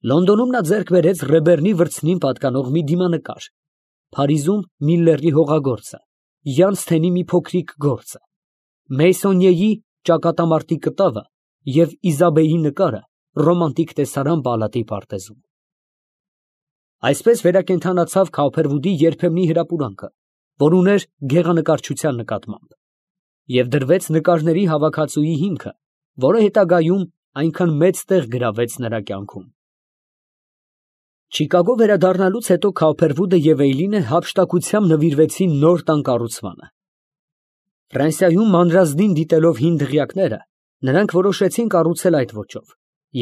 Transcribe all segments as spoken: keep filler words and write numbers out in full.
Լոնդոնում նա ձեռք բերեց Ռեբեռնի վրձնին պատկանող մի դիմանկար, Փարիզում Միլլերի հողագործը, Յանսթենի մի փոքրիկ գործը, Մեյսոնիեի ճակատամարտի կտավը և Իզաբեի նկարը ռոմանտիկ տեսարան պալատի պարտեզում։ Այսպես վերակենդանացավ Քոփերվուդի երբեմնի հրապուրանքը, որ ուներ գեղանկարչության նկատմամբ, և դրվեց նկարների հավաքածուի հիմքը, որը հետագայում այնքան մեծ տեղ գրավեց նրա կյանքում։ Չիկագո վերադառնալուց հետո Քոփերվուդը և Էյլինը հափշտակությամբ նվիրվեցին նոր տան կառուցմանը։ Ֆրանսիայում մանրազնին դիտելով հին դղյակները, նրանք որոշեցին կառուցել այդ ոճով,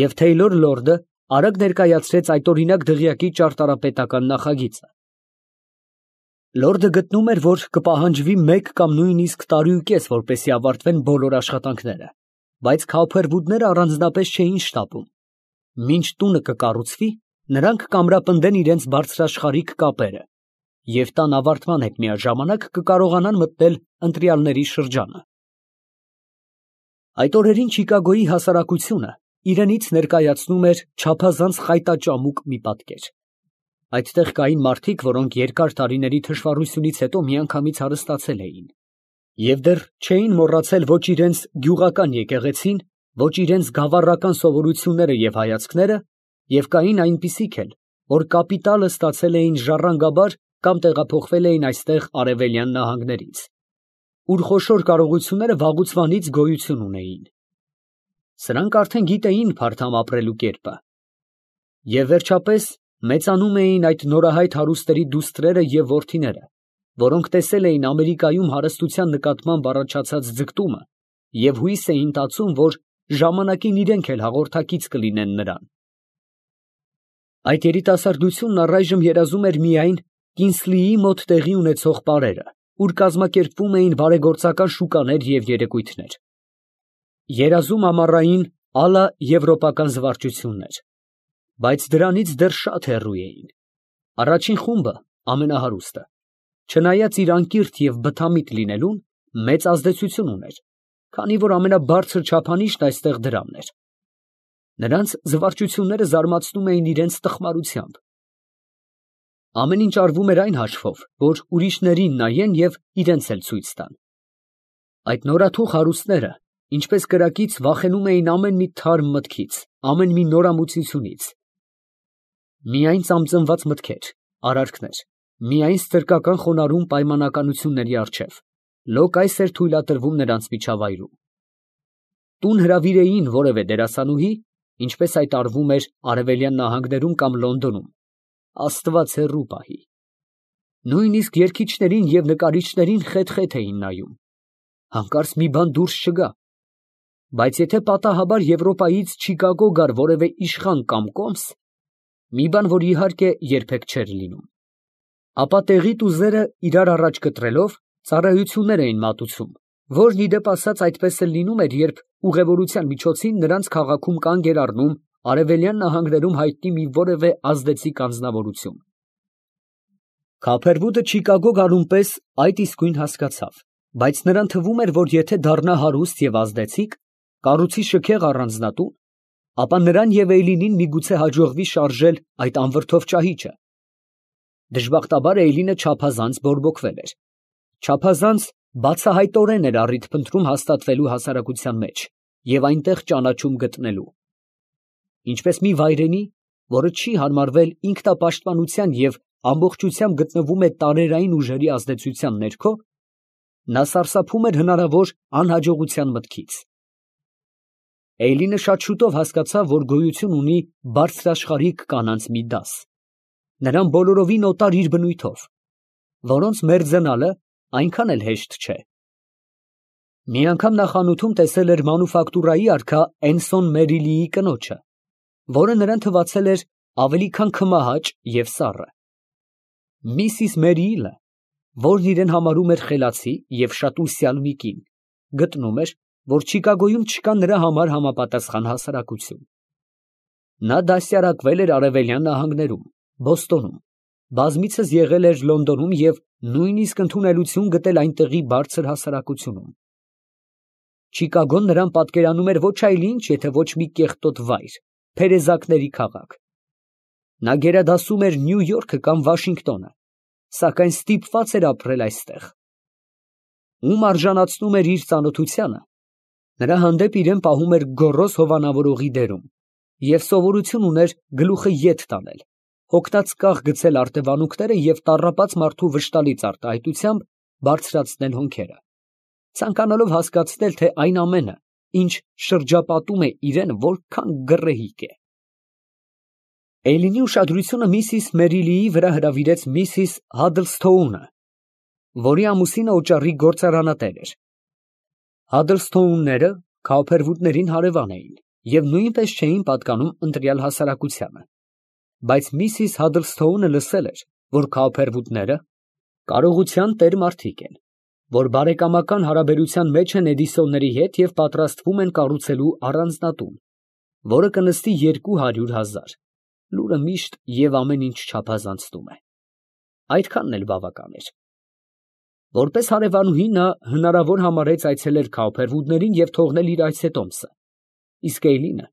և Թեյլոր լորդը արագ ներկայացրեց այդօրինակ դղյակի ճարտարապետական նախագիծը։ Լորդը գտնում էր, որ կպահանջվի մեկ կամ նույնիսկ տարուկես, որպեսզի ավարտվեն բոլոր աշխատանքները, բայց Քոփերվուդները առանձնապես չէին շտապում։ Մինչ տունը կկառուցվի, նրանք կամրապնդեն իրենց բարձրաշխարհիկ կապերը և տան ավարտման հետ միաժամանակ կկարողանան մտնել ընտրյալների շրջանը։ Այդ օրերին Չիկագոյի հասարակությունը իրենից ներկայացնում էր չափազանց խայտաճամուկ մի պատկեր։ Այդտեղ կային մարդիկ, որոնք երկար տարիների թշվառությունից հետո միանգամից հարստացել էին, և դեռ չէին մոռացել ոչ իրենց գյուղական եկեղեցին, ոչ իրենց գավառական սովորույթները և հայացքները, և կային այնպիսիք էլ, որ կապիտալը ստացել էին ժառանգաբար կամ տեղափոխվել էին այստեղ արևելյան նահանգներից, ուր խոշոր կարողությունները վաղուց գոյություն ունեին։ Սրանք արդեն գիտեին փարթամ ապրելու կերպը։ Եվ վերջապես մեծանում էին այդ նորահայտ հարուստների դուստրերը և որդիները, որոնք տեսել էին Ամերիկայում հարստության նկատմամբ առաջացած ձգտումը և հույս էին տածում, որ ժամանակին իրենք էլ հաղորդակից կլինեն նրան։ Այդ երիտասարդությունն առայժմ երազում էր միայն Կինսլիի մոտ տեղի ունեցող պարերը, ուր կազմակերպվում էին բարեգործական շուկաներ և երեկույթներ, երազում ամառային ալա եվրոպական զվարճություններ, բայց դրանից դեռ շատ հեռու էին։ Առաջին խումբը, ամենահարուստը, չնայած իր անկիրք և բթամիտ լինելուն, մեծ ազդեցություն ուներ, քանի որ ամենաբարձր չափանիշն այստեղ դրամն էր։ Նրանց զվարճությունները զարմացնում էին իրենց տխմարությամբ։ Ամեն ինչ արվում էր այն հաշվով, որ ուրիշներին նայեն և իրենց էլ ցույց տան։ Այդ նորաթուխ հարուստները, ինչպես կրակից, վախենում էին ամեն մի թարմ մտքից, ամեն մի նորամուծությունից։ Միայն ծամծնված մտքեր, արարքներ, միայն ստրկական խոնարհում պայմանականությունների առջև, լոկ այս էր թույլատրվում նրանց միջավայրում։ Տուն հրավիրեին որևէ դերասանուհի, ինչպես այդ արվում էր արևելյան նահանգներում կամ Լոնդոնում, Աստված հեռու պահի։ Նույնիսկ երգիչներին և նկարիչներին խեթ֊խեթ էին նայում, հանկարծ մի բան դուրս չգա, բայց եթե պատահաբար Եվրոպայից Չիկագո գար որևէ իշխան կամ կոմս, մի բան, որ իհարկե երբեք չէր լինում, ապա տեղի տուզերը իրար առաջ կտրելով ծառայություններ էին մատուցում, որն ի դեպ ասած այդպես էլ լինում էր, երբ ուղևորության միջոցին նրանց քաղաքում կանգ էր առնում արևելյան նահանգներում հայտնի մի որևէ ազդեցիկ անձնավորություն։ Քոփերվուդը Չիկագո գալուն պես այդ իսկույն հասկացավ, բայց նրան թվում էր, որ եթե դառնա հարուստ և ազդեցիկ, կառուցի շքեղ առանձնատուն, ապա նրան և Էյլինին միգուցե հաջողվի շարժել այդ անվրդով ճահիճը։ Դժբախտաբար Էյլինը չափազանց բորբոքվել էր, չափազանց բացահայտորեն էր առիթ փնտրում հաստատվելու հասարակության մեջ և այնտեղ ճանաչում գտնելու։ Ինչպես մի վայրենի, որը չի հարմարվել ինքնապաշտպանության և ամբողջությամբ գտնվում է տարերային ուժերի ազդեցության ներքո, նա սարսափում էր հնարավոր անհաջողության մտքից։ Էյլինը շատ շուտով հասկացավ, որ գոյություն ունի բարձրաշխարհիկ կանանց մի դաս, նրան բոլորովին օտար իր բնույթով, որոնց մերձենալը այնքան էլ հեշտ չէ։ Մի անգամ նա խանութում տեսել էր մանուֆակտուրայի արքա Էնսոն Մերիլիի կնոջը, որը նրան թվացել էր ավելի քան քմահաճ և սառը։ Միսիս Մերիլը, որն իրեն համարում էր խելացի և շատ ուսյալ մի կին, գտնում էր, որ Չիկագոյում չկա նրա համար համապատասխան հասարակություն։ Նա դաստիարակվել էր արևելյան նահանգներում, Բոստոնում, բազմիցս եղել էր Լոնդոնում և նույնիսկ ընդունելություն գտել այնտեղի բարձր հասարակությունում։ Չիկագոն նրան պատկերանում էր ոչ այլ ինչ, եթե ոչ մի կեղտոտ վայր, փերեզակների քաղաք, Նա գերադասում էր Նյու Յորքը կամ Վաշինգտոնը, սակայն ստիպված էր ապրել այստեղ։ Ում արժանացնում էր իր ծանոթությանը, նրա հանդեպ իրան պահում էր գոռոզ հովանավորողի դերում և սովորություն ուներ գլուխը ետ տանել, հոգնած կաղ գցել արտևանունքները և տառապած մարդու վշտալից արտահայտությամբ բարձրացնել հոնքերը, ցանկանալով հասկացնել, թե այն ամենը, ինչ շրջապատում է իրան, որքան գռեհիկ է։ Էյլինի ուշադրությունը միսիս Մերիլիի վրա հրավիրեց միսիս Հադլսթոունը, որի ամուսինը օճառի գործարանատեր էր։ Հադլսթոունները Քաուփերվուդներին հարևան էին և նույնպես չէին պատկանում ընտրյալ հասարակությանը, բայց միսիս Հադլսթոունը լսել էր, որ Քաուփերվուդները կարողության տեր մարդիկ են, որ բարեկամական հարաբերության մեջ են Էդիսոնների հետ և պատրաստվում են կառուցելու առանձնատուն, որը կնստի երկու հարյուր հազար, լուրը միշտ և ամեն ինչ չափազանցնում է։ Այդքանն էլ բավական էր։ Որպես հարևանուհի նա հնարավոր համարեց այցելել Քաուփերվուդներին և թողնել իր այցետոմսը, իսկ Էյլինը,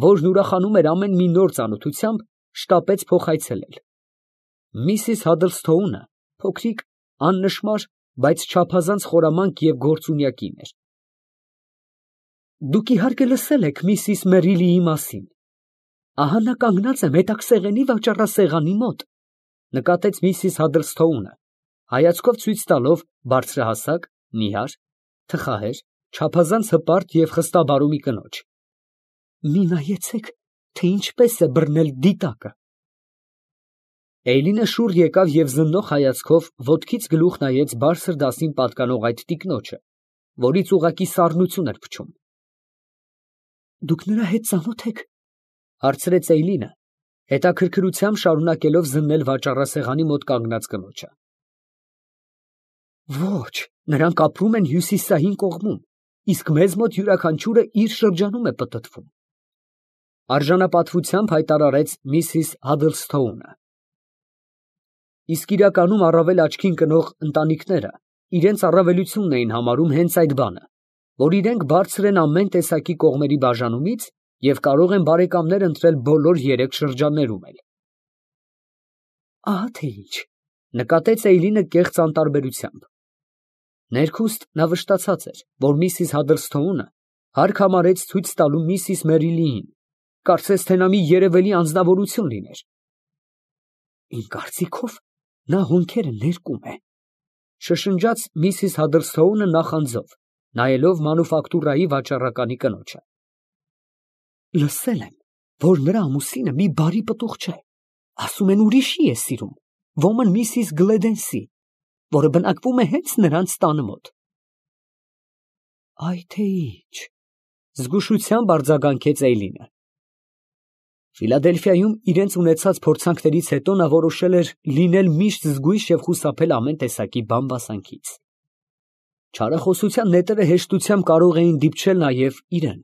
որն ուրախանում էր ամեն մի նոր ծանոթությամբ, շտապեց փոխայցելել։ Միսիս Հադլսթոունը փոքրիկ, աննշմար, բայց չափազանց խորամանկ և գործունյա կին էր։ Դուք իհարկե լսել եք միսիս Մերիլիի մասին։ Ահա նա կանգնած է մետաքսեղենի վաճառասեղանի մոտ, նկատեց միսիս Հադլսթոունը, հայացքով ցույց տալով բարձրահասակ, նիհար, թխահեր, չափազանց հպարտ և խստաբարու մի կնոջ։ Մի նայեցեք, թե ինչպես է բռնել դիտակը։ Էյլինը շուռ եկավ և զննող հայացքով ոտքից գլուխ նայեց բարձր դասին պատկանող այդ տիկնոջը, որից ուղղակի սառնություն էր փչում։ Դուք նրա հետ ծանո՞թ եք, հարցրեց Էյլինը, հետաքրքրությամբ շարունակելով զննել վաճառասեղանի մոտ կանգնած կնոջը։ Ոչ, նրանք ապրում են հյուսիսային կողմում, իսկ մեզ մոտ յուրաքանչյուրը իր շրջանում է պտտվում, արժանապատվությամբ հայտարարեց միսիս Հադլսթոունը։ Իսկ իրականում առավել աչքին կնող ընտանիքները իրենց առավելությունն էին համարում հենց այդ բանը, որ իրենք բարձր են ամեն տեսակի կողմերի բաժանումից և կարող են բարեկամներ ընտրել բոլոր երեք շրջաններում էլ։ Ահա թե ինչ, նկատեց Էյլինը կեղծ անտարբերությամբ։ Ներքուստ նա վշտացած էր, որ միսիս Հադլսթոունը հարկ համարեց ցույց տալու միսիս Մերիլիին, կարծես թե նա մի երևելի անձնավորություն լիներ։ Իմ կարծիքով նա հոնքերը ներկում է, շշնջաց միսիս Հադլսթոունը նախանձով, նայելով մանուֆակտուրայի վաճառականի կնոջը։ Լսել եմ, որ նրա ամուսինը մի բարի պտուղ չէ, ասում են ուրիշի է սիրում, ոմն միսիս Գլեդենսի, որը բնակվում է հենց նրանց տանը մոտ։ Այ թե ինչ, զգուշությամբ արձագանքեց Էյլինը։ Ֆիլադելֆիայում իրենց ունեցած փորձանքներից հետո նա որոշել էր լինել միշտ զգույշ և խուսափել ամեն տեսակի բամբասանքից։ Չարախոսության նետերը հեշտությամբ կարող էին դիպչել նաև իրան։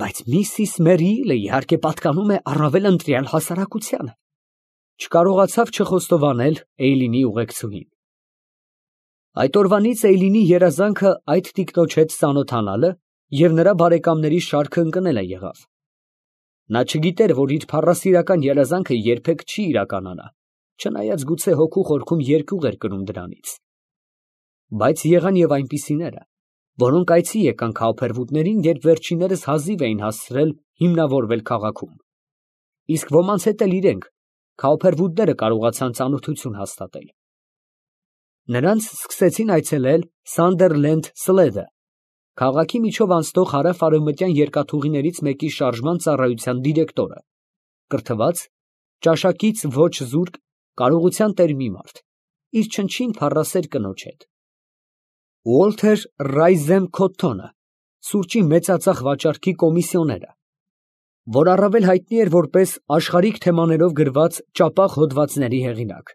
Բայց միսիս Մերիլը իհարկե պատկանում է առավել ընտրյալ հասարակությանը, չկարողացավ չխոստովանել Էյլինի ուղեկցուհին։ Այդ օրվանից Էյլինի երազանքը այդ տիկնոջ հետ ծանոթանալը և նրա բարեկամների շարքը ընկնելը եղավ։ Նա չգիտեր, որ իր փառասիրական երազանքը երբեք չի իրականանա, չնայած գուցե հոգու խորքում երկյուղ էր կրում դրանից։ Բայց եղան և այնպիսիները, որոնք այցի եկան Քաուփերվուդներին, երբ վերջիններս հազիվ էին հասցրել հիմնավորվել քաղաքում, իսկ ոմանց հետ էլ իրենք, Քաուփերվուդները, կարողացան ծանոթություն հաստատել։ Նրանց սկսեցին այցելել Սանդերլենդ Սլեդը, քաղաքի միջով անցնող հարավ֊արևմտյան երկաթուղիներից մեկի շարժման ծառայության դիրեկտորը, կրթված, ճաշակից ոչ զուրկ, կարողության տեր մի մարդ, իր չնչին փառասեր կնոջ հետ։ Ուոլթեր Ռայզեմ Քոթթոնը, սուրճի մեծածախ վաճառքի կոմիսիոները, որ առավել հայտնի էր որպես աշխարհիկ թեմաներով գրված ճապաղ հոդվածների հեղինակ,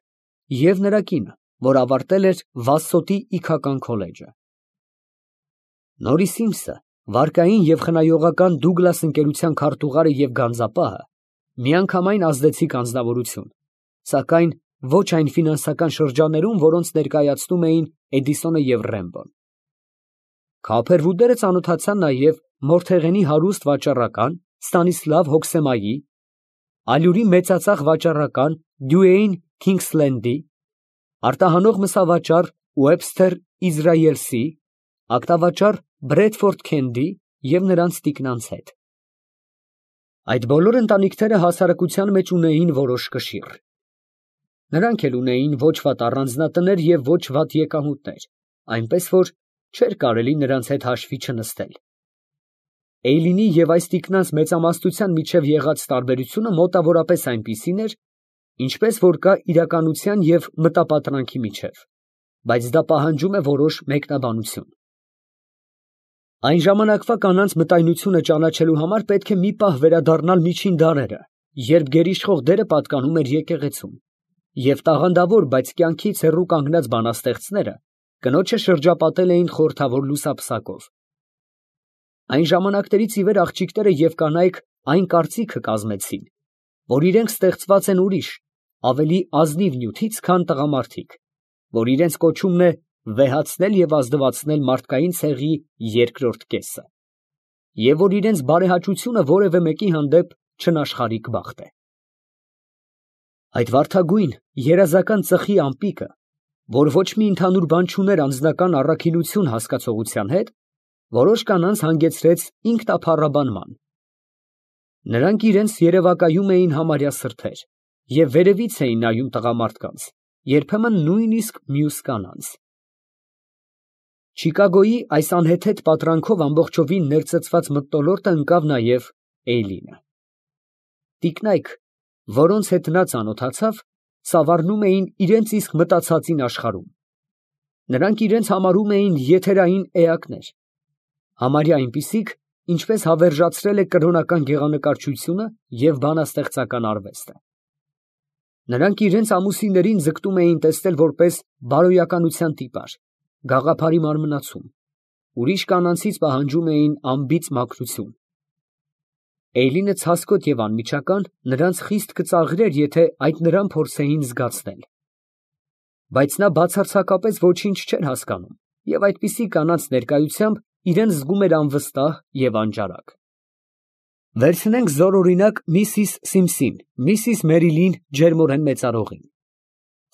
և նրա կինը, որ ավարտել էր Վասսոտի իգական քոլեջը։ Նորի Սիմսը, վարկային և խնայողական Դուգլաս ընկերության քարտուղարը և գանձապահը միանգամայն ազդեցիկ անձնավորություն, սակայն ոչ այն ֆինանսական շրջաններում, որոնց ներկայացնում էին Էդիսոնը և Ռեմբոն։ Քաուփերվուդները ծանոթացան նաև Մորթեղենի հարուստ վաճառական Ստանիսլավ Հոքսեմայի, Ալյուրի մեծածախ վաճառական Դյուեյն Քինգսլենդի, արտահանող մսավաճառ Ուեբսթեր Իսրայելսի, ակտավաճառ Բրեդֆորդ Քենդի և նրանց տիկնանց հետ։ Այդ բոլոր ընտանիքները հասարակության մեջ ունեին որոշ կշիռ։ Նրանք էլ ունեին ոչ վատ առանձնատներ և ոչ վատ եկամուտներ, այնպես որ չէր կարելի նրանց հետ հաշվի չնստել։ Էյլինի և այս տիկնանց մեծամասնության միջև եղած տարբերությունը մոտավորապես այնպիսին էր, ինչպես որ կա իրականության և մտապատրանքի միջև, բայց դա պահանջում է որոշ մեկնաբանություն։ Այն ժամանակվա կանանց մտայնությունը ճանաչելու համար պետք է մի պահ վերադառնալ միջին դարերը, երբ գերիշխող դերը պատկանում էր եկեղեցուն, և տաղանդավոր, բայց կյանքից հեռու կանգնած բանաստեղծները կնոջը շրջապատել էին խորհրդավոր լուսափսակով։ Այն ժամանակներից ի վեր աղջիկները և կանայք այն կարծիքը կազմեցին, որ իրենք ստեղծված են ուրիշ, ավելի ազնիվ նյութից, քան տղամարդիկ, որ իրենց կոչումն է վեհացնել և ազդվացնել մարդկային ցեղի երկրորդ կեսը, և որ իրենց բարեհաճությունը որևէ մեկի հանդեպ չնաշխարհիկ բախտ է։ Այդ վարդագույն, երազական ծխի ամպիկը, որ ոչ մի ընդհանուր բան չուներ անձնական առաքինություն հասկացողության հետ, որոշ կանանց հանգեցրեց ինքնափառաբանման։ Նրանք իրենց երևակայում էին համարյա սրբեր և վերևից էին նայում տղամարդկանց, երբեմն նույնիսկ մյուս կանանց։ Չիկագոյի այս անհեթեթ պատրանքով ամբողջովին ներծծված մթնոլորտը ընկավ նաև Էյլինը։ Տիկնայք, որոնց հետ նա ծանոթացավ, ծավառնում էին իրենց իսկ մտածածին աշխարհում։ Նրանք իրենց համարում էին եթերային էակներ, համարյա այնպիսիք, ինչպես հավերժացրել է կրոնական գեղանկարչությունը և բանաստեղծական արվեստը։ Նրանք իրենց ամուսիններին ձգտում էին տեսնել որպես բարոյականության տիպար, գաղափարի մարմնացում, ուրիշ կանանցից պահանջում էին անբիծ մաքրություն։ Էյլինը ցասկոտ և անմիջական նրանց խիստ կծաղրեր, եթե այդ նրան փորձեին զգացնել։ Բայց նա բացարձակապես ոչինչ չէր հասկանում և այդպիսի կանանց ներկայությամբ իրեն զգում էր անվստահ և անճարակ։ Վերցնենք զորօրինակ միսիս Սիմսին, միսիս Մերիլին ջերմորեն մեծարողին։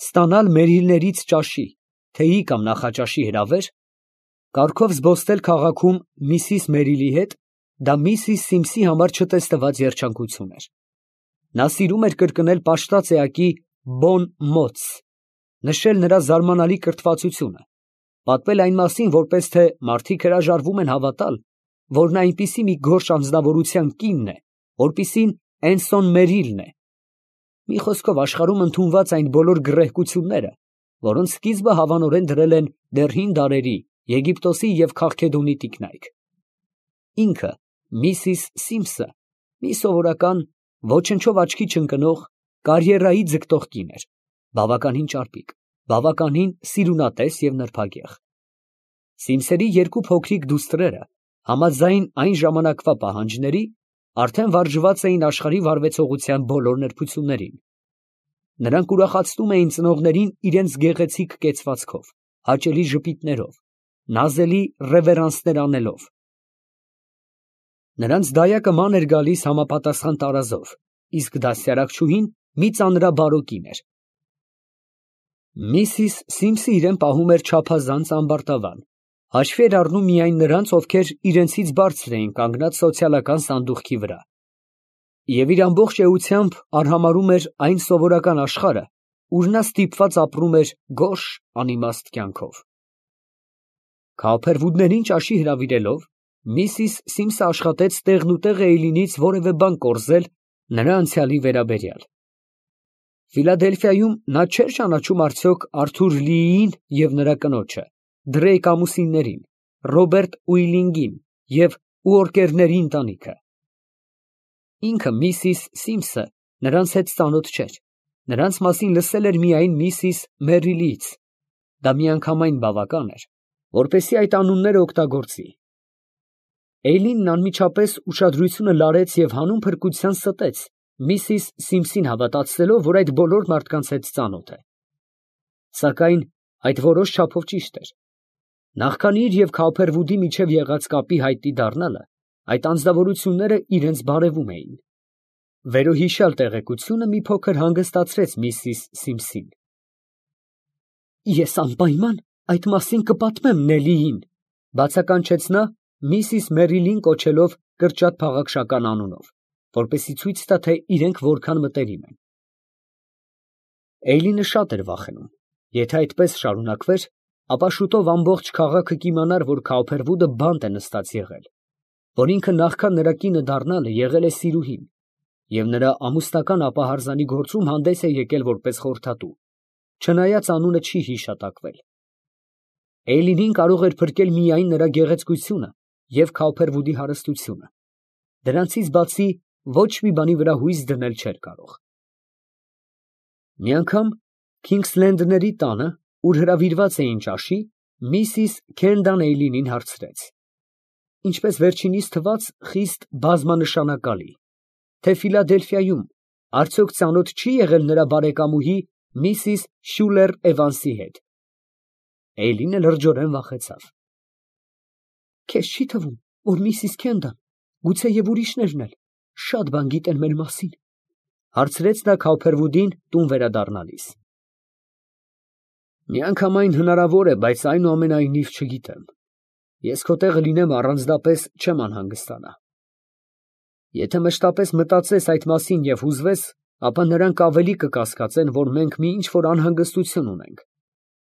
Ստանալ Մերիլներից ճաշի, թեյի կամ նախաճաշի հրավեր, կառքով զբոսնել քաղաքում միսիս Մերիլի հետ, դա միսիս Սիմսի համար չտեսնված երջանկություն էր։ Նա սիրում էր կրկնել պաշտած էակի «բոն մոց», նշել նրա զարմանալի կրթվածությունը, պատմել այն մասին, որպես թե մարդիկ հրաժարվում են հավատալ, որ նա այնպիսի մի գորշ անձնավորության կինն է, որպիսին Էնսոն Մերիլն է, մի խոսքով աշխարհում ընդունված այն բոլոր գռեհկությունները, որոնց սկիզբը հավանորեն դրել են դեռ հին դարերի Եգիպտոսի և Քաղքեդոնի տիկնայք։ Ինքը, միսիս Սիմսը, մի սովորական, ոչնչով աչքի չընկնող, կարիերայի ձգտող կին էր, բավականին ճարպիկ, բավականին սիրունատես և նրբագեղ։ Սիմսերի երկու փոքրիկ դուստրերը, համաձայն այն ժամանակվա պահանջների, արդեն վարժված էին աշխարհի վարվեցողության բոլոր նրբություններին։ Նրանք ուրախացնում էին ծնողներին իրենց գեղեցիկ կեցվածքով, հաճելի ժպիտներով, նազելի ռևերանսներ անելով։ Նրանց դայակը ման էր գալիս համապատասխան տարազով, իսկ դաստիարակչուհին մի ծանրաբարո կին էր։ Միսիս Սիմսը իրեն պահում էր չափազանց ամբարտավան, հաշվի էր առնում միայն նրանց, ովքեր իրենցից բարձր էին կանգնած սոցիալական սանդուղքի վրա, և իր ամբողջ էությամբ արհամարհում էր այն սովորական աշխարհը, ուր նա ստիպված ապրում էր գորշ, անիմաստ կյանքով։ Քավափերվուդներին ճաշի հրավիրելով, միսիս Սիմսը աշխատեց տեղնուտեղ Էյլինից որևէ բան կորզել նրա անցյալի վերաբերյալ։ Ֆիլադելֆիայում նա չէր ճանաչում արդյոք Արթուր Լիին և նրա կնոջը, Դրեյք ամուսիններին, Ռոբերտ Ուիլինգին և Ուորկերների ընտանիքը։ Ինքը միսիս Սիմսը նրանց հետ ծանոթ չէր, նրանց մասին լսել էր միայն միսիս Մերիլիից, դա միանգամայն բավական էր, որպեսզի այդ անունները օգտագործի։ Էյլինն անմիջապես ուշադրությունը լարեց և հանուն փրկության ստեց միսիս Սիմսին հավատացնելով, որ այդ բոլոր մարդկանց հետ ծանոթ է։ Սակայն այդ որոշ չափով ճիշտ էր։ Նախքան իր և Քավափերվուդի միջև եղած կապի հայտնի դառնալը, այդ անձնավորությունները իրենց բարևում էին։ Վերոհիշյալ տեղեկությունը մի փոքր հանգստացրեց միսիս Սիմսին։ Ես անպայման այդ մասին կպատմեմ Նելլիին, բացականչեց նա, միսիս Մերիլին կոչելով կրճատ փաղաքշական անունով, որպեսզի ցույց տա, թե իրենք որքան մտերիմ են։ Էյլինը շատ էր վախենում, եթե այդպես շարունակվեր, ապա շուտով ամբողջ քաղաքը կիմանար, որ Քաուփերվուդը բանտ է նստած եղել, որ ինքը նախքան նրա կինը դառնալը եղել է սիրուհին, և նրա ամուսնական ապահարզանի գործում հանդես է եկել որպես խորհրդատու, չնայած անունը չի հիշատակվել։ Էյլինին կարող էր փրկել միայն նրա գեղեցկությունը և Քաուփերվուդի հարստությունը, դրանցից բացի ոչ մի բանի վրա հույս դնել չէր կարող։ Մի անգամ Քինգսլենդների տանը, ուր հրավիրված էին ճաշի, միսիս Քենդան Էյլինին հարցրեց, ինչպես վերջինիս թվաց խիստ բազմանշանակալի, թե Ֆիլադելֆիայում արդյոք ծանոթ չի եղել նրա բարեկամուհի միսիս Շյուլեր Էվանսի հետ։ Էյլինը լրջորեն վախեցավ։ Քեզ չի թվում, որ միսիս Քենդան, գուցեև ուրիշներն էլ, շատ բան գիտեն մեր մասին, հարցրեց նա Քաուփերվուդին տուն վերադառնալիս։ Միանգամայն հնարավոր է, բայց այնուամենայնիվ չգիտեմ։ Ես քո տեղը լինեմ առանձնապես չեմ անհանգստանա։ Եթե մշտապես մտածես այդ մասին և հուզվես, ապա նրանք ավելի կկասկածեն, որ մենք մի ինչ֊որ անհանգստություն ունենք։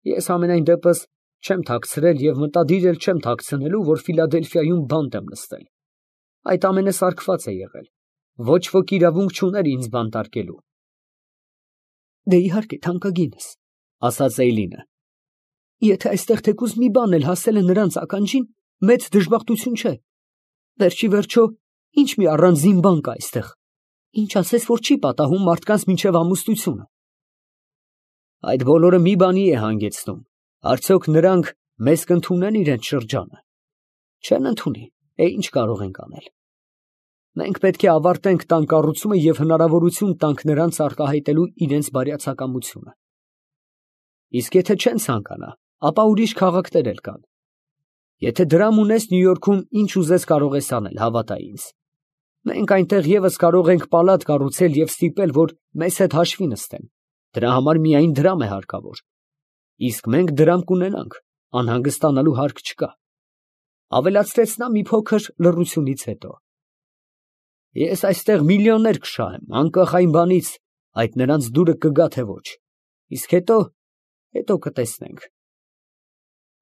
Ես համենայն դեպս չեմ թաքցրել և մտադիր էլ չեմ թաքցնելու, որ Ֆիլադելֆիայում բանտ եմ նստել։ Այդ ամենը սարքված է եղել, ոչ ոք իրավունք չուներ ինձ բանտարկելու։ Դե իհարկե թանկագինս, ասաց Էյլինը, եթե այստեղ թեկուզ մի բան էլ հասել է նրանց ականջին, մեծ դժբախտություն չէ։ Վերջի վերջո, ինչ մի առանձին բան կա այստեղ, ինչ ասես, որ չի պատահում մարդկանց մինչև ամուսնությունը։ Այդ բոլորը մի բանի է հանգեցնում, արդյոք նրանք մեզ կընդունեն իրենց շրջանը։ Չեն ընդունի, է ինչ կարող ենք անել։ Մենք պետք է ավարտենք տան կառուցումը և հնարավորություն տանք նրանց արտահայտելու իրենց բարյացակամությունը։ Իսկ եթե չեն ցանկանա, ապա ուրիշ քաղաքներ էլ կան։ Եթե դրամ ունես Նյու Յորքում, ինչ ուզես կարող ես անել, հավատա ինձ։ Մենք այնտեղ ևս կարող ենք պալատ կառուցել և ստիպել, որ մեզ հետ հաշվի նստեն։ Դրա համար միայն դրամ է հարկավոր։ Իսկ մենք դրամ կունենանք, անհանգստանալու հարկ չկա։ Ավելացրեց նա մի փոքր լռությունից հետո։ Ես այստեղ միլիոններ կշահեմ, անկախ այն բանից, այդ նրանց դուրը կգա թե ոչ։ Իսկ հետո, հետո կտեսնենք։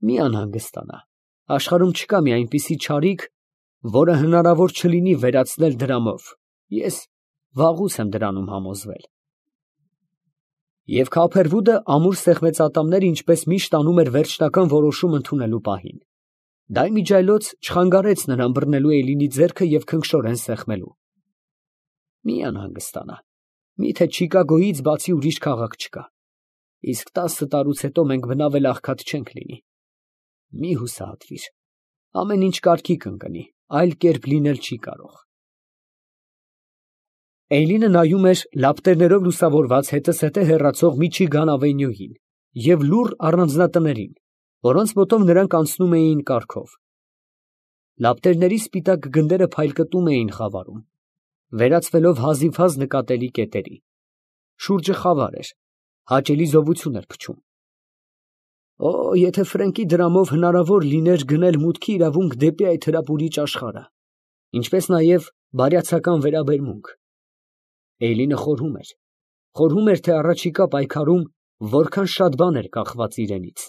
Մի անհանգստանա, աշխարհում չկա մի այնպիսի չարիք, որը հնարավոր չլինի վերացնել դրամով, ես վաղուց եմ դրանում համոզվել։ Եվ Քաուփերվուդը ամուր սեղմեցատամները ինչպես միշտ անում էր վերջնական որոշում ընդունելու պահին։ Դա իմիջիայլոց չխանգարեց նրան բռնելու Էյլինի ձեռքը և քնքշորեն սեղմելու։ Մի անհանգստանա, միթե Չիկագոյից բացի ուրիշ քաղաք չկա, իսկ տասը տարուց հետո մենք բնավել աղքատ չենք լինի։ Մի հուսահատվիր, ամեն ինչ կարգի կընկնի, այլ կերպ լինել չի կարող։ Էյլինը նայում էր լապտերներով լուսավորված հետզհետե հեռացող Միչիգան ավենյուին և լուռ առանձնատներին, որոնց մոտով նրանք անցնում էին կառքով։ Լապտերների սպիտակ գնդերը փայլկտում էին խավարում, վերածվելով հազիվհազ նկատելի կետերի։ Շուրջը խավար էր, հաճելի զովություն էր փչում։ Օ, եթե Ֆրենկի դրամով հնարավոր լիներ գնել մուտքի իրավունք դեպի այդ հրապուրիչ աշխարհը, ինչպես նաև բարյացակամ վերաբերմունք։ Էյլինը խորհում էր, խորհում էր, թե առաջիկա պայքարում որքան շատ բան էր կախված իրենից։